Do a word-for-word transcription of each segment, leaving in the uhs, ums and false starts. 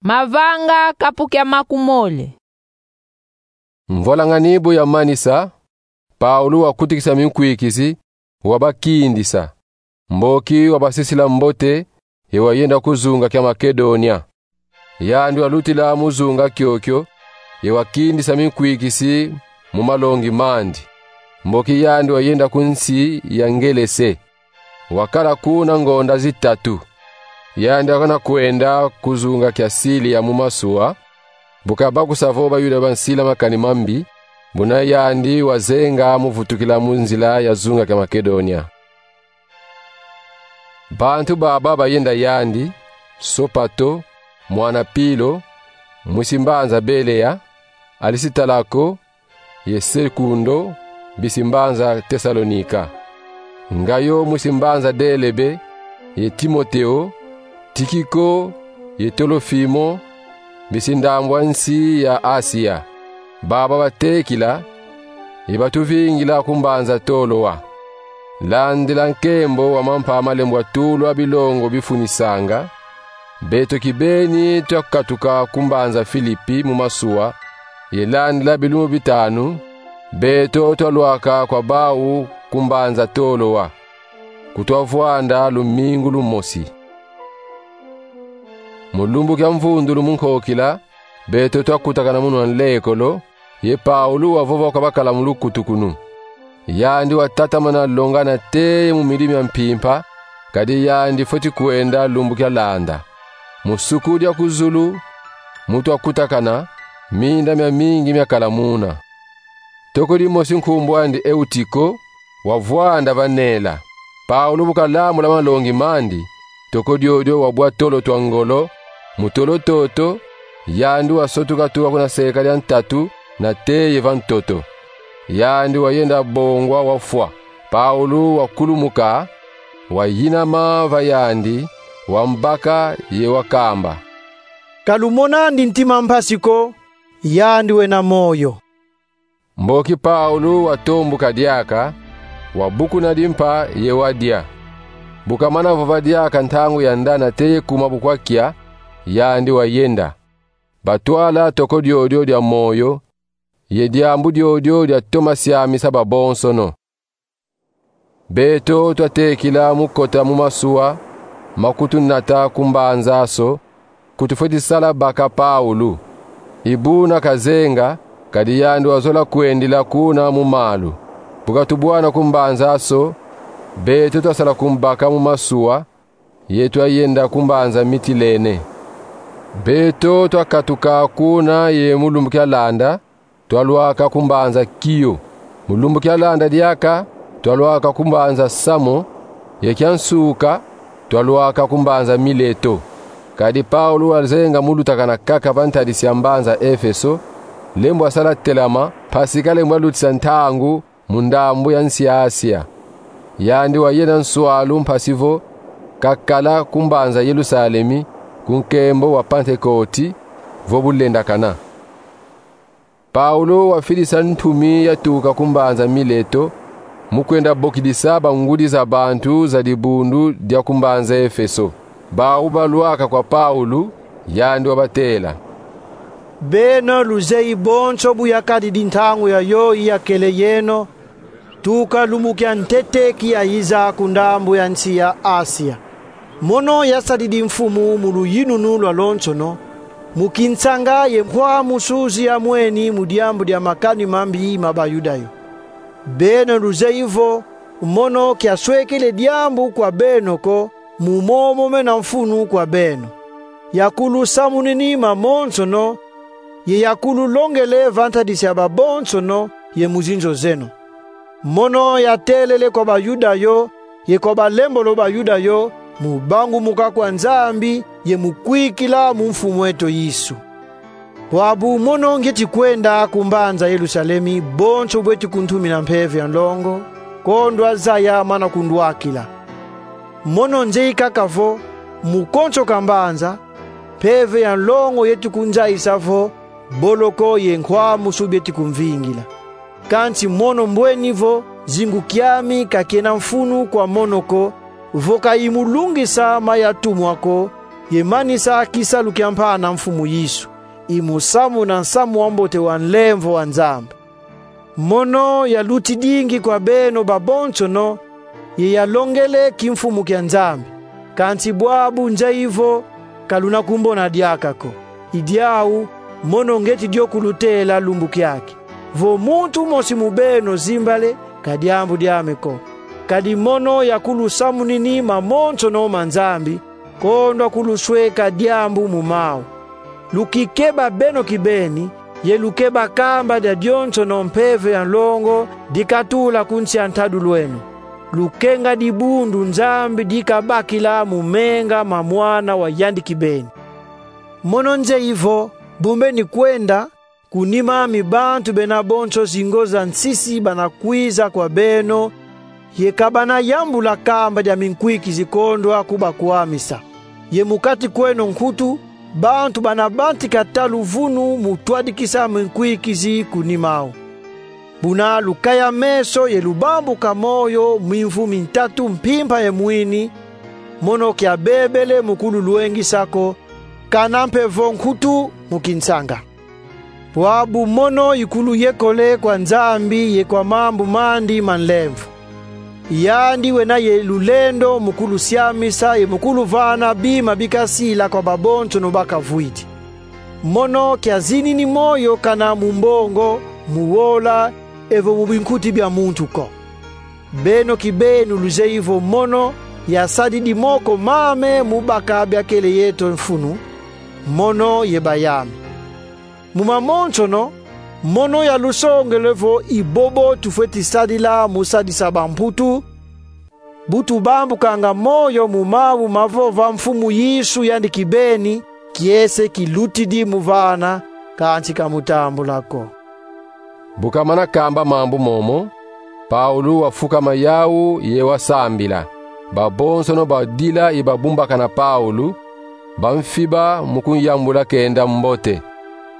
Mavanga kapu kia makumole. Mvwalangani bu yamanisa, Paulu wakutukisa minkwikizi, wabakindisa. Mboki wabasisila mbote, ye wayenda ku zunga kia Makedonia. Yandi walutila mu zunga kiokio, ye wakindisa minkwikizi mu malongi mandi. Mboki yandi wayenda ku nsi ya Ngelese. Wakala kuna ngonda zitatu. Yandi wakana kwenda ku zunga kia Silia mu masuwa, bu kabakusa vo Bayuda bansila makani mambi, buna yandi wazenga mu vutukila mu nzila ya zunga kia Makedonia. Bantu baba bayenda yandi: Sopato, mwana Pilo, mwisi mbanza Belea, Alisitalako, ye Sekundo, bisi mbanza Tesalonika. Ngayo mwisi mbanza Delebe, ye Timoteo, Tikiko, ye Tolofimo, bisi ndambu a nsi ya Asia. Baba batekila, ye batuvingila ku mbanza Toloa. Landila nkembo wa mampa malembwa tulwa bilongo bifunisanga, beto kibeni twakatuka ku mbanza Filipi mu masuwa, ye landila bilumbu bitanu, beto twalwaka kwa bawu ku mbanza Toloa, ku twavwanda lumingu lumosi. Mu lumbu kia mvundulu mu nkokila, beto twakutakana muna nlekolo, ye Paulu wavova kwa bakala mu lukutukunu. Yandi watatamana longa nate mu midi mia mpimpa, kadi yandi fweti kwenda lumbu kia landa. Mu suku dia ku zulu, mu twakutakana, minda miamingi miakala muna. Toko dimosi nkumbu andi Eutiko, wavwanda va nela. Paulu bu kalambula malongi mandi, toko diodio wabwa tolo twa ngolo, mu tolo toto, yandi wasotuka tuka kuna seka dia ntatu, nate ye va ntoto. Yandi wayenda bongwa wafwa. Paulu wakulumuka, wayinama va yandi, wambaka ye wakamba: Ka lumonandi ntima mpasi ko, yandi wena moyo. Mboki Paulu watombuka diaka, wabukuna dimpa ye wadia. Bu kamana vova diaka ntangu ya nda nate ye kuma bu kwakia, yandi wayenda. Batwala toko diodio dia moyo, ye diambu diodio diatoma siamisa babonsono. Beto twatekila mu kota mu masuwa ma kutunata ku mbanza Aso, ku tufweti sala baka Paulu. I buna kazenga, kadi yandi wazola kwendila kuna mu malu. Bu katubwana ku mbanza Aso, beto twasala kumbaka mu masuwa, ye twayenda ku mbanza Mitilene. Beto twakatuka kuna ye mu lumbu kia landa, twalwaka ku mbanza Kio. Mu lumbu kia landa diaka, twalwaka ku mbanza Samo, ye kia nsuka, twalwaka ku mbanza Mileto. Kadi Paulu wazenga mu lutakana kaka va ntadisi ya mbanza Efeso, lembo asala telama, mpasi kalembo alutisa ntangu mu ndambu ya nsi ya Asia. Yandi wayenda nswalu mpasi vo kakala ku mbanza Yelusalemi, ku nkembo wa Pantekoti, vo bulendakana. Paulu wafidisa ntumi yatuka ku mbanza Mileto, mu kwenda bokidisa bangudi za bantu za dibundu dia ku mbanza Efeso. Bawu balwaka kwa Paulu, yandi wabatela: Beno luzeyi bonso bu yakadidi ntangu yayoyi yakele yeno, tuka lumbu kia ntete kiyayiza ku ndambu ya nsi ya Asia. Mono yasadidi mfumu mu luyinunu lwalonsono, mu kinsanga ye nkwamusu zi yamweni mu diambu dia makani mambi ma Bayuda yo. Beno luzeyi vo mono kiaswekele diambu kwa beno ko, mu momo mena mfunu kwa beno. Yakulusamunini mamonsono, ye yakululongele va ntadisi ya babonsono ye mu zinzo zeno. Mono yatelele kwa Bayuda yo, ye kwa balembolo Bayuda yo, mu bangumuka kwa Nzambi, ye mu kwikila mu Mfumu eto Yesu. Bwabu mono ngieti kwenda ku mbanza Yelusalemi, bonso bweti kuntumina mpeve ya nlongo, kondwa zaya mana kundwakila. Mono nzeyi kaka vo, mu konso ka mbanza, mpeve ya nlongo yeti kunzayisa vo, boloko ye nkwamusu bieti kumvingila. Kansi mono mbweni vo, zingu kiami ka kiena mfunu kwa mono ko, vo ka i mu lungisa ma yatumwa ko, ye manisa kisalu kia mpana Mfumu Yesu, i mu samuna nsamu wa mbote wa nlemvo wa Nzambi. Mono yalutidingi kwa beno babonsono, ye yalongele kimfumu kia Nzambi. Kansi bwabu nzeye vo ka luna kumbona diaka ko. I diau, mono ngeti dio kulutela lumbu kiaki, vo muntu mosi mu beno zimbale, ka diambu diame ko. Kadi mono yakulusamunini mamonsono ma Nzambi, kondwa kulusweka diambu mu mau. Lukikeba beno kibeni, ye lukeba kamba dia dionsono mpeve ya nlongo dikatula ku nsi a ntadulu eno. Lukenga dibundu Nzambi dikabakila mu menga ma Mwana wa yandi kibeni. Mono nzeye vo, bu mbeni kwenda, ku nima ami bantu bena bonso zingo za nsisi bana kwiza kwa beno, ye ka bana yambula kamba dia minkwikizi kondwa kubakwamisa. Ye mu kati kweno nkutu, bantu bana bantika ta luvunu mu twadikisa minkwikizi ku nima au. Buna lukaya meso ye lubambuka moyo mimvu mintatu mpimpa ye mwini, mono kia bebele mu kululwengisa ko, kana mpe vo nkutu mu kinsanga. Bwabu mono ikuluyekole kwa Nzambi ye kwa mambu mandi ma nlemvo. Yandi wena ye lulendo mu kulusiamisa ye mu kuluvana bima bikasila kwa babonsono bakavwidi. Mono kia zinini moyo kana mu mbongo, mu wola, evo mu binkuti bia muntu ko. Beno kibeni luzeye vo mono yasadidi moko mame mu baka bia kele yeto mfunu, mono ye bayame. Mu mamonsono, mono yalusongele vo i bobo tufweti sadila mu sadisa bamputu, bu tubambukanga moyo mu mau mavova Mfumu Yesu yandi kibeni, kiese kilutidi mu vana, kansi ka mu tambula ko. Bu kamana kamba mambu momo, Paulu wafukama yau ye wasambila. Babonsono badila ye babumbakana Paulu, bamfiba mu kunyambula kenda mbote.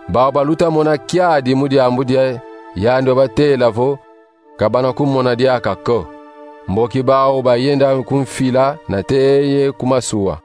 Bau baluta mona kiadi mu diambu dia yandi wabatela vo ka bana kumona diaka ko. Mboki bau bayenda ku mfila nate ye ku masuwa.